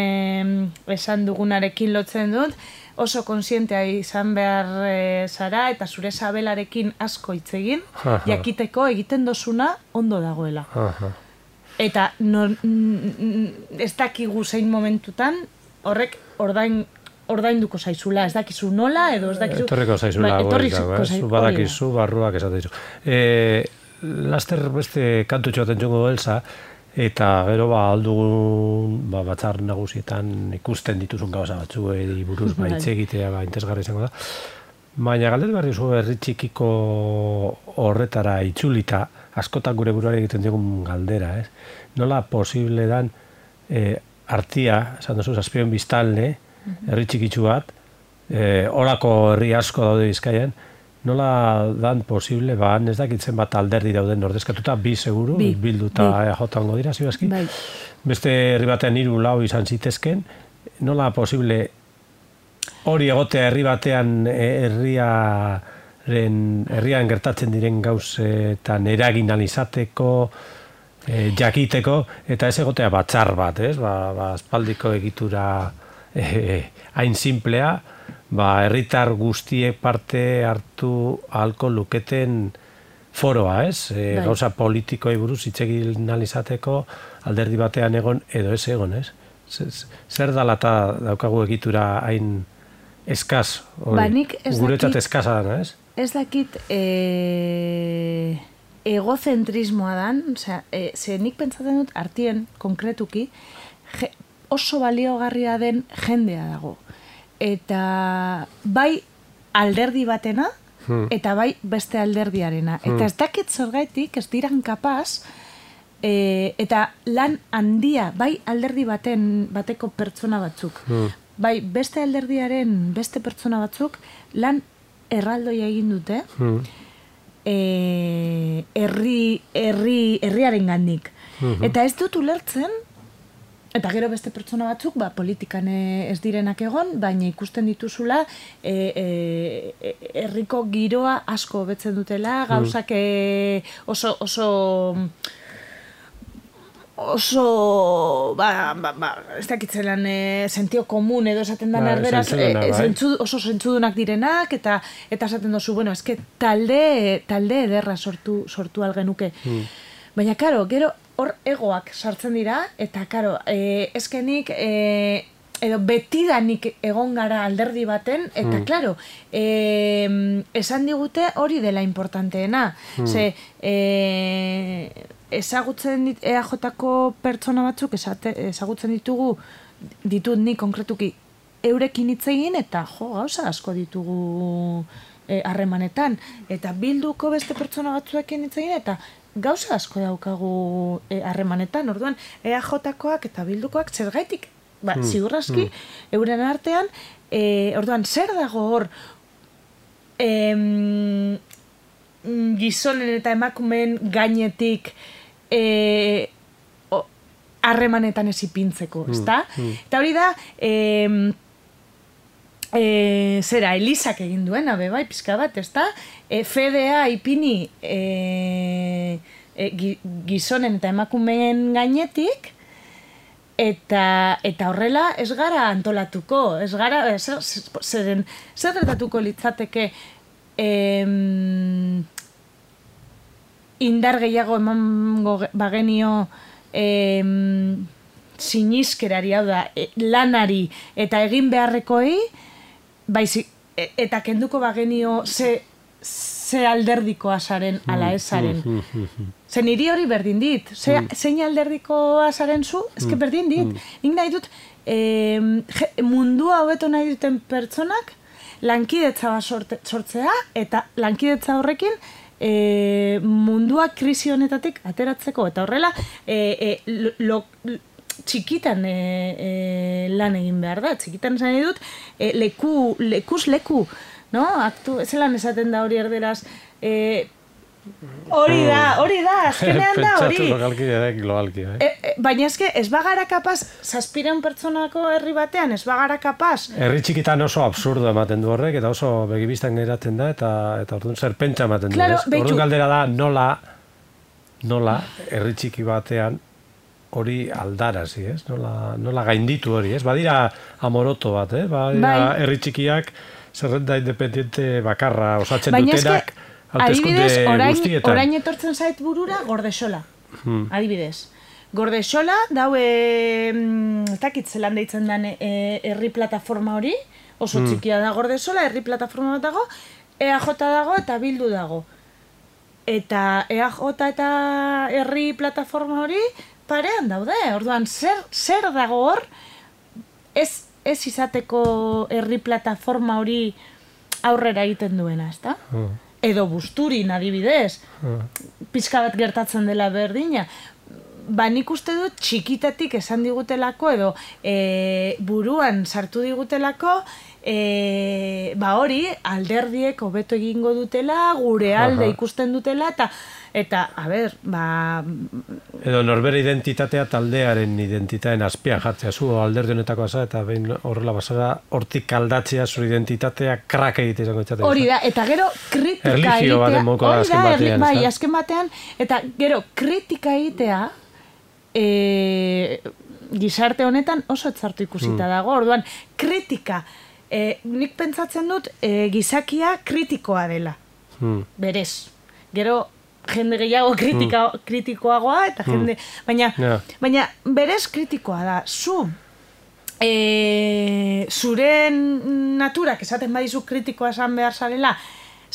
esan dugunarekin lotzen dut, oso konsientea izan behar zara, eta zure sabelarekin asko hitz egin, jakiteko egiten dozuna ondo dagoela. Eta ez dakigu zein momentutan, horrek ordainduko zaizula, ez dakizu nola, edo ez dakizu... Etorriko zaizula, zu badakizu, barruak esaten dizu. Laster beste kantutxo baten txungo Elsa, eta gero aldugun batzar nagusietan ikusten dituzun gauza batzu, buruz hitz egitea interesgarri izango da. Baina galdetu behar dizu herri txikiko horretara itzulita, askotan gure buruari egiten digun galdera, ez? Nola posible dan artia, esan duzu, Zazpion biztanle, herri txikitsu bat, horako herri asko daude Bizkaian, nola dan posible, ez dakitzen bat alderdi dauden ordezkatuta, bi seguru, bildu eta jotango dira, zibazki? Beste herri batean 3-4 izan zitezken, nola posible hori egotea herri batean herrian gertatzen diren gauzetan eragin izateko, jakiteko, eta ez egotea batzar bat, ez? Aspaldiko egitura hain simplea, herritar guztiek parte hartu ahalko luketen foroa, ez? Gauza politikoei buruz hitz egin izateko alderdi batean egon edo ez egon, ez? Zer dala eta daukagu egitura hain eskaz, guretzat eskaza dana, ez? Ez dakit egozentrismoa dan, ze nik pentsatzen dut artien konkretuki, oso baliogarria den jendea dago. Eta bai alderdi batena, eta bai beste alderdiarena. Eta ez dakit zergaitik, ez diran kapaz, eta lan handia, bai alderdi bateko pertsona batzuk, bai beste alderdiaren beste pertsona batzuk, lan erraldoia egin dute, herriaren gandik. Eta ez dut ulertzen, eta gero beste pertsona batzuk, politikan ez direnak egon, baina ikusten dituzula herriko giroa asko hobetzen dutela, gauzak oso ez dakitzelan sentio komun edo esaten dan erderaz oso zentzudunak direnak eta esaten dozu, bueno, eske talde ederra sortu algenuke. Baina, karo, gero hor egoak sartzen dira, eta, karo, eskenik edo betidanik egon gara alderdi baten, eta, klaro, esan digute hori dela importanteena. Ze, ezagutzen EAJ-ko pertsona batzuk ezagutzen ditut ni konkretuki eurekin hitz egin eta gauza asko ditugu harremanetan eta Bilduko beste pertsona batzuekin hitz egin eta gauza asko daukagu harremanetan. Orduan EAJ-koak eta Bildukoak zergaitik ziurraski euren artean orduan zer dago hor gizonen eta emakumeen gainetik harremanetan ez ipintzeko, ezta? Eta hori da zera, Elisak egin duena, bai, pizka bat, ezta? FDA ipini gizonen eta emakumeen gainetik eta horrela ez gara antolatuko, ez gara, zer gertatuko litzateke indar gehiago emango bagenio siniskerari, hau da, lanari eta egin beharrekoei, eta kenduko bagenio ze alderdikoa zaren ala ezaren. Ze niri hori berdin dit. Zein alderdikoa zaren zu, ezke berdin dit. Nik nahi dut, mundua hobeto nahi duten pertsonak lankidetza bat sortzea, eta lankidetza horrekin mundua krisi honetatik ateratzeko. Eta horrela, txikitan lan egin behar da. Txikitan esan dut, lekuz leku, no? Zelan esaten da hori erderaz, hori da, azkenean da hori. Pentsatu lokalki edek globalki, baina eske, ez bagara kapaz, 700 pertsonako herri batean, ez bagara kapaz. Herri txikitan oso absurdo ematen du horrek, eta oso begibistan geratzen da, eta orduan zer pentsa ematen du, ez? Orduan galdera da, nola herri txiki batean hori aldarazi, ez? Nola gainditu hori, ez? Badira amoroto bat, badira herri txikiak zerrenda independiente bakarra osatzen dutenak, adibidez, orain etortzen zait burura Gordesola. Adibidez. Gordesola, daue, ez dakit zelan deitzen den herri plataforma hori, oso txikia da Gordesola, herri plataforma bat dago, EAJ dago eta Bildu dago. Eta EAJ eta herri plataforma hori parean daude. Orduan, zer dago hor, ez izateko herri plataforma hori aurrera egiten duena, ezta? Edo Busturin adibidez, pizka bat gertatzen dela berdina. Nik uste dut txikitatik esan digutelako edo buruan sartu digutelako hori alderdiek hobeto egingo dutela, gure alde ikusten dutela eta a ber, edo norbere identitatea taldearen identitateen azpian jartzea, zu alderdi honetako asa eta behin horrela basara hortik aldatzea zure identitatea krak egitea izango itzatea. Hori da, eta gero kritika egitea. Erlijio baten moko da azken batean. Bai, azken batean, eta gero kritika egitea gizarte honetan oso etzartu ikusita dago. Orduan, kritika, nik pentsatzen dut gizakia kritikoa dela. Berez. Gero, jende gehiago kritikoagoa, eta jende... Baina berez kritikoa da. Zure naturak esaten badizu kritikoa esan behar zarela,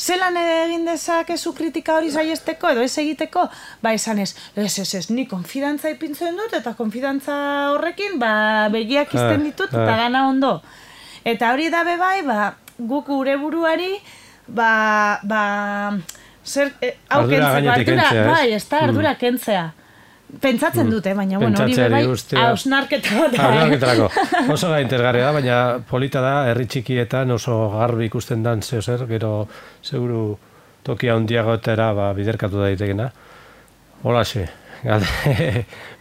zelan egin dezakezu kritika hori saiesteko edo ez egiteko? Esan ez, ni konfidantza ipintzen dut, eta konfidantza horrekin begiak izten ditut, eta gana ondo. Eta hori da bebai, guk gure buruari, hau kentzea, ardura kentzea. Pentsatzen dute, baina hori bebai hausnarketa bat. Hausnarketarako. Oso da interesgarria da, baina polita da, herri txikietan oso garbi ikusten dan zer, gero seguru tokia handiagotera biderkatu daitekena. Holaxe,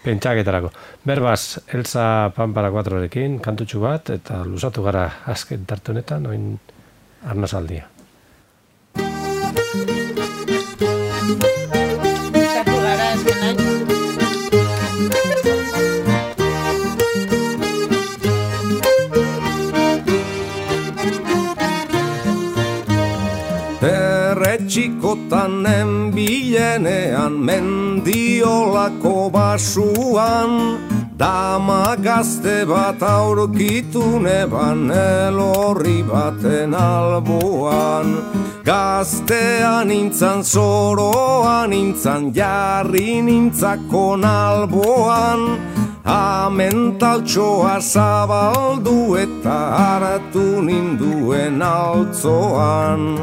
pentsaketarako. Berbaz, Elsa Pampara 4-rekin, kantutxu bat, eta luzatu gara azken tarte honetan, oin arnazaldia. Txikotan enbilenean mendiolako basuan Dama gazte bat aurkitu neban elorri baten alboan. Gaztean nintzan, zoroan nintzan, jarri nintzakon alboan. Amentaltxoa zabaldu eta hartu ninduen altzoan.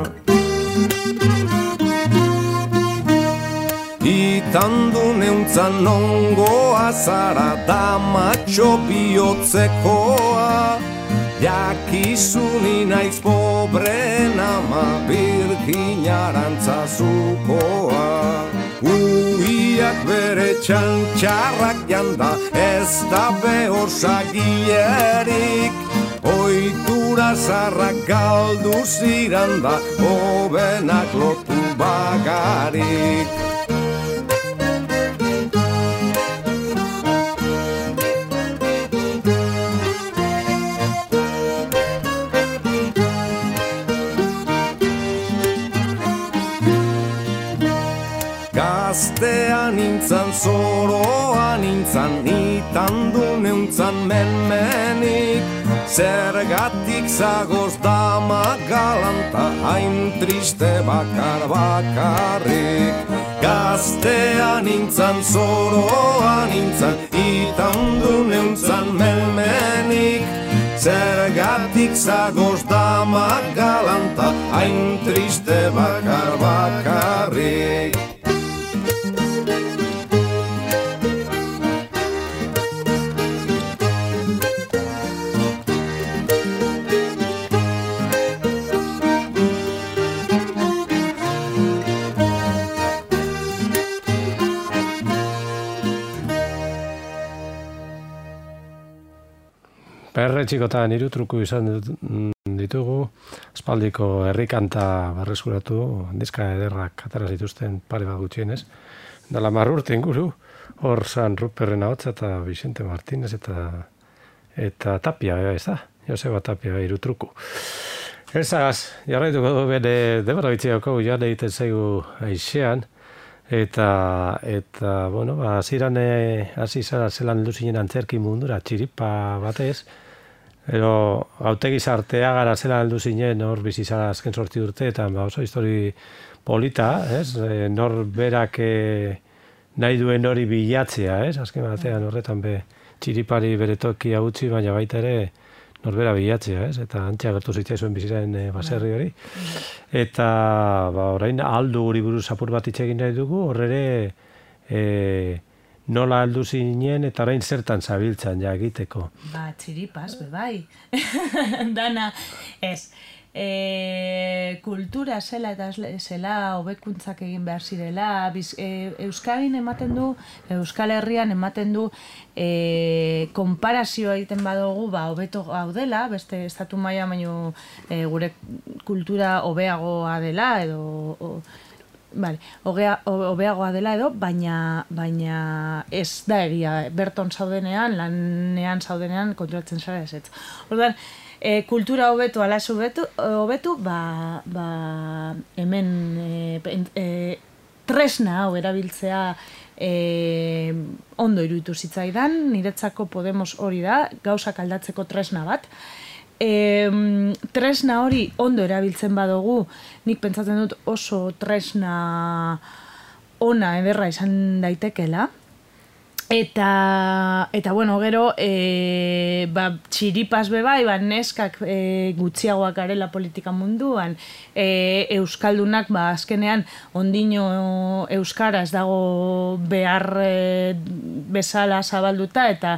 Itandu neuntzan nongoa zara damatxo bihotzekoa. Jakizuni naiz pobren ama birginarantzazukoa. Uiak bere txantxarrak janda ez da behor sagierik. Oitura zarrak galdu ziranda hobenak lotu bagarik. Gaztean nintzan, zoroan nintzan, nitandu neuntzan menmenik. Zergatik zagoz dama galanta, hain triste bakar bakarrik. Gaztean nintzan, zoroan nintzan, nitandu neuntzan menmenik. Zergatik zagoz dama galanta, hain triste bakar bakarrik. Perre txikotan hiru truku izan ditugu, aspaldiko herrikanta berreskuratu, diska ederrak atera zituzten pare bat gutxienez. Dala 10 urte inguru, hor San Ruperren ahotsa eta Vicente Martínez eta Tapia, ez da? Joseba Tapia, hiru truku. Elzagaz, jarraituko du bere debara bitziako jan egiten zaigu aixean, eta bueno, hasieran hasi zara zelan heldu zinen antzerki mundura, txiripa batez, Ero, hautegi zartea gara zela heldu zinen, hor bizi zara azken 8 urteetan, oso histori polita, ez? Nor berak nahi duen hori bilatzea, ez? Azken batean horretan txiripari bere tokia utzi, baina baita ere norbera bilatzea, ez? Eta antxe agertu zitzaizuen biziraren baserri hori. Eta orain aldu guri buruz apur bat hitz egin nahi dugu, horre nola heldu zinen eta orain zertan zabiltzan ja egiteko. Txiripaz, bai. Dana, ez. Kultura zela eta zela hobekuntzak egin behar zirela. Euskadin ematen du, Euskal Herrian ematen du konparazioa egiten badugu, hobeto gaudela, beste estatu maila baino gure kultura hobeagoa dela edo hobeagoa dela edo, baina ez da egia, berton zaudenean, lanean zaudenean konturatzen zara ez. Orduan, kultura hobetu, ala ez hobetu, hemen tresna hau erabiltzea ondo iruditu zitzaidan, niretzako Podemos hori da, gauzak aldatzeko tresna bat. Tresna hori ondo erabiltzen badugu, nik pentsatzen dut oso tresna ona ederra izan daitekela. Eta bueno, gero txiripaz bai, neskak gutxiagoak garela politika munduan, euskaldunak azkenean ondino euskara ez dago behar bezala zabalduta, eta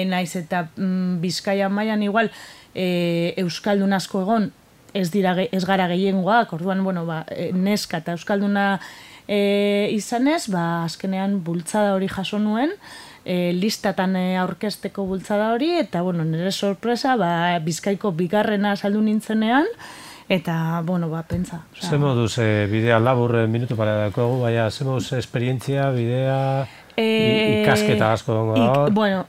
naiz eta Bizkaia mailan igual euskaldun asko egon ez gara gehiengoak, orduan neska eta euskalduna izanez, azkenean bultzada hori jaso nuen, listatan aurkezteko bultzada hori, eta nire sorpresa, Bizkaiko bigarrena saldu nintzenean, eta, pentsa. Ze moduz, bidea labur minutu para dakogu, ze moduz esperientzia, bidea, ikasketa asko dongo da,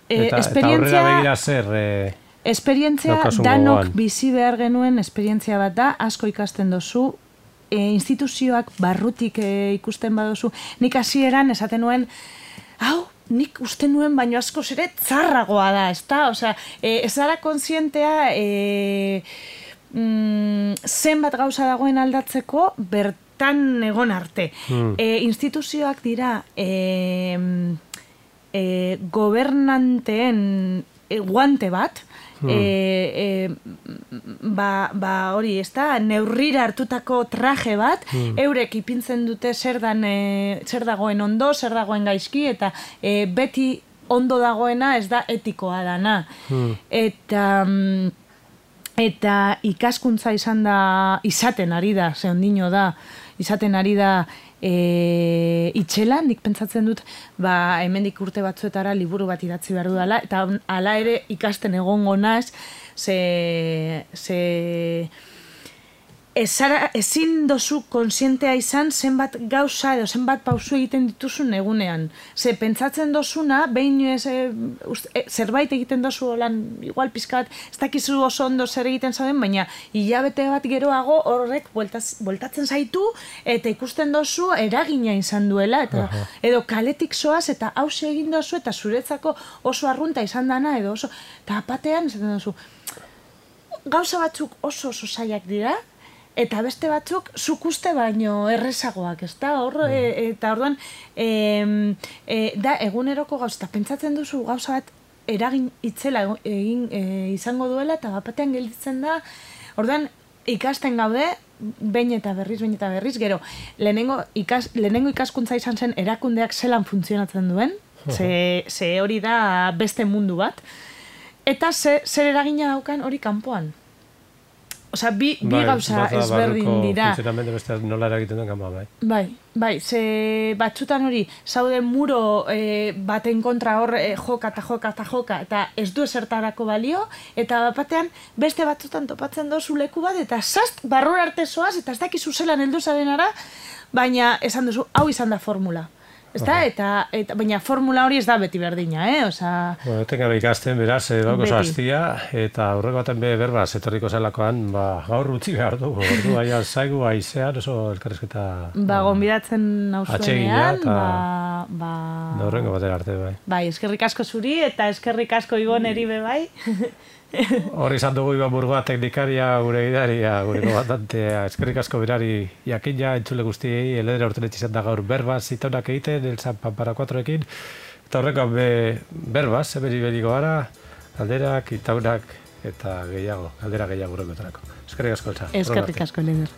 eta aurrera begira zer... Esperientzia, danok bizi behar genuen esperientzia bat da, asko ikasten dozu, instituzioak barrutik ikusten baduzu. Nik hasieran esaten nuen, hau, nik uste nuen baino askoz ere txarragoa da, ezta? Osea, ez gara kontzientea zenbat gauza dagoen aldatzeko bertan egon arte. Instituzioak dira gobernanteen guante bat, hori, ez da, neurrira hartutako traje bat, eurek ipintzen dute zer dagoen ondo, zer dagoen gaizki, eta beti ondo dagoena ez da etikoa dana. Eta ikaskuntza izaten ari da, ze ondino da, izaten ari da itxela, nik pentsatzen dut, hemendik urte batzuetara liburu bat idatzi behar dudala, eta hala ere ikasten egongo naiz, ezin dozu konsientea izan zenbat gauza edo zenbat pausu egiten dituzun egunean. Ze pentsatzen dozuna, behin zerbait egiten dozu olan, igual pizka bat, ez dakizu oso ondo zer egiten zauden, baina hilabete bat geroago horrek bueltatzen zaitu eta ikusten dozu eragina izan duela, eta edo kaletik zoaz eta hauxe egin dozu eta zuretzako oso arrunta izan dana edo oso, eta apatean esaten dozu, gauza batzuk oso zailak dira, eta beste batzuk zuk uste baino errezagoak, ezta? Eta orduan, da eguneroko gauza, eta pentsatzen duzu gauza bat eragin itzela izango duela, eta batean gelditzen da, orduan ikasten gaude, behin eta berriz, gero, lehenengo ikaskuntza izan zen erakundeak zelan funtzionatzen duen, ze hori da beste mundu bat, eta zer eragina daukan hori kanpoan. Osea, bi gauza ezberdin dira. Funtzionamendu beste nola eragiten duen kanpoan, bai. Bai, ze batzutan hori, zaude muro baten kontra hor joka, eta ez du esertarako balio, eta batean beste batzutan topatzen dozu leku bat, eta zast, barrura arte zoaz, eta ez dakizu zelan heldu zarenara, baina esan duzu, hau izan da formula. Eta baina formula hori ez da beti berdina, osea... Bueno, tengabe ikasten, beraz, oso hastia, eta aurreko baten berbaz, etorriko zelakoan, gaur utzi behar dugu, ordu baina zaigu aizean, oso elkarrizketa... Gonbidatzen nauzuenean, horrengo batera arte, bai. Bai, eskerrik asko zuri, eta eskerrik asko Iboneri be bai. Hori izan dugu Iban Burgoa teknikaria, gure gidaria, gure komandantea, eskerrik asko berari jakina, entzule guztiei, eledera urtenetxe izan da gaur berbaz, zitaunak egiten, el San Pampara 4ekin, eta horreko berbaz, beriko gara, galderak, itaunak, eta gehiago, galdera gehiago horrekotarako. Eskerrik asko, Elsa. Eskerrik asko, Leder.